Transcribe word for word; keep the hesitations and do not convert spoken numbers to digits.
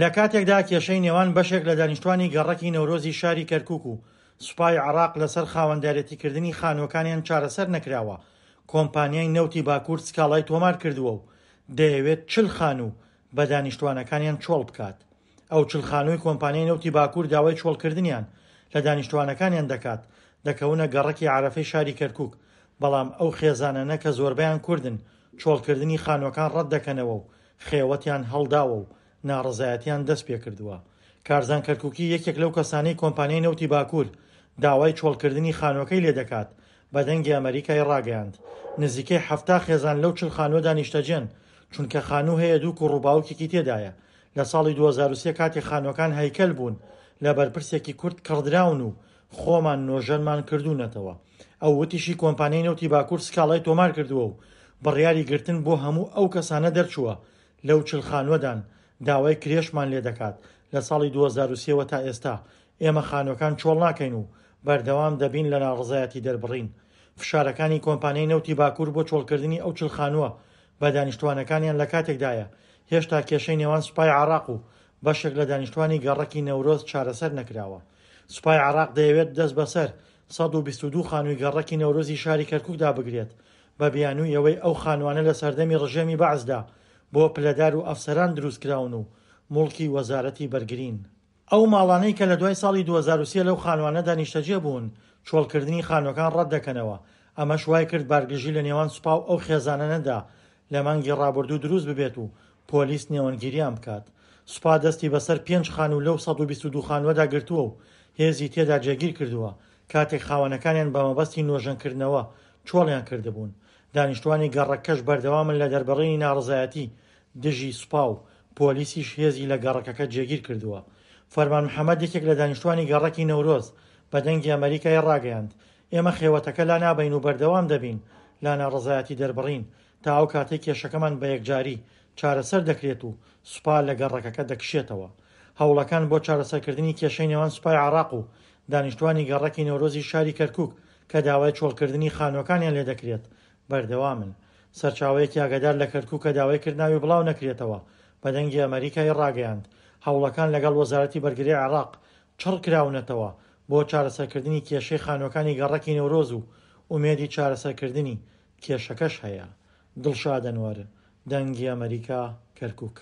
لە کاتێکدا کێشەی نێوان بەشێک لە دانیشتوانی گەڕەکی نەورۆزی شاری کەرکوک و سوپای عێراق لەسەر خاوەندارێتیکردنی خانووەکانیان چارەسەر نەکراوە، کۆمپانیای نەوتی باکوور سکاڵای تۆمار کردووە و دەیەوێت چل خانوو بە دانیشتوانەکانیان چۆڵ بکات. ئەو چل خانووی کۆمپانیای نەوتی باکوور داوای چۆڵکردنیان لە دانیشتوانەکانیان دەکات، دەکەونە گەڕەکی عەرەفەی شاری کەرکوک، بەڵام ئەو خێزانانە کە زۆربەیان کوردن چۆڵکردنی خانووەکان ڕەت دەکەنەوە و خێوەتیان هەڵداوە و ناڕەزایەتیان دەست پێکردووە. کارزان کەرکوکی یەکێک لەو کەسانەی کۆمپانیای نەوتی باکوور داوای چۆڵکردنی خانووەکەی لێدەکات بە دەنگی ئەمەریکای ڕاگەیاند، نزیکەی حەفتا خێزان لەو چل خانووەدا نیشتەجێن، چونکە خانوو هەیە دوو کوڕ و باوکێکی تێدایە. لە ساڵی دوو هەزار و سێ کاتێک خانووەکان هەیکەل بوون لە بەرپرسێکی کورد کڕدراون و خۆمان نۆژەنمان کردوونەتەوە. ئەو وتیشی کۆمپانیای نەوتی باکوور سکاڵای تۆمار کردووە و بڕیاری گرتن بۆ هەموو ئەو کەسانە دەرچووە لەو چل خانووەدان، داوای کرێشمان لێدەکات لە ساڵی دوو هەزار و سێ وە تا ئێستا ئێمە خانووەکان چۆڵ ناکەین و بەردەوام دەبین لە ناڕەزایەتی دەربڕین. فشارەکانی کۆمپانیای نەوتی باکوور بۆ چۆڵکردنی ئەو چل خانووە بە دانیشتوانەکانیان لە کاتێکدایە هێشتا کێشەی نێوان سوپای عێراق و بەشێک لە دانیشتوانی گەڕەکی نەورۆز چارەسەر نەکراوە. سوپای عێراق دەیەوێت دەست بەسەر سەد و بیست و دوو خانووی گەڕەکی نەورۆزی شاری کەرکوکدا بگرێت بە بیانووی ئەوەی ئەو خانووانە لە سەردەمی ڕژێمی بەعسدا بۆ پلەدار و ئەفسەران دروستکراون و موڵکی وەزارەتی بەرگرین. ئەو ماڵانەی کە لە دوای ساڵی دوو هەزار و سێ لەو خانووانەدا نیشتەجێ بوون چۆڵکردنی خانووەکان ڕەت دەکەنەوە، ئەمەش وای کرد بارگرژی لە نێوان سوپا و ئەو خێزانانەدا لە مانگی ڕابردوو دروست ببێت و پۆلیس نێوەندگیریان بکات. سوپا دەستی بەسەر پێنج خانوو لەو سەد و بیست و دوو خانووەدا گرتووە و هێزی تێدا جێگیر کردووە کاتێک خاوەنەکانیان بە مەبەستی نۆژەنکردنەوە چۆڵیان کردبوون. دانیشتوانی گەڕەکەش بەردەوامن لە دەربڕینی ناڕەزایەتی دژی سوپا و پۆلیسیش هێزی لە گەڕەکەکە جێگیر کردووە. فەرمان محەمەد یەکێک لە دانیشتوانی گەڕەکی نەورۆز بە دەنگی ئەمەریکای ڕاگەیاند، ئێمە خێوەتەکە لا نابەین و بەردەوام دەبین لە ناڕەزایەتی دەربڕین تا ئەو کاتەی کێشەکەمان بە یەکجاری چارەسەر دەکرێت و سوپا لە گەڕەکەکە دەکشێتەوە. هەوڵەکان بۆ چارەسەرکردنی کێشەی نێوان سوپای عێراق و دانیشتوانی گەڕەکی نەورۆزی شاری کەرکوک کە داوای چۆڵکردنی خانووەکانیان لێدەکرێت بەردەوامن. سەرچاوەیەکی ئاگادار لە کەرکوک کە داوای کرد ناوی بڵاو نەکرێتەوە بە دەنگی ئەمەریکای ڕاگەیاند، هەوڵەکان لەگەڵ وەزارەتی بەرگری عێراق چڕ کراونەتەوە بۆ چارەسەرکردنی کێشەی خانووەکانی گەڕەکی نەورۆز و ئومێدی چارەسەرکردنی کێشەکەش هەیە. دڵشاد ئەنوەر، دەنگی ئەمەریکا، کەرکوک.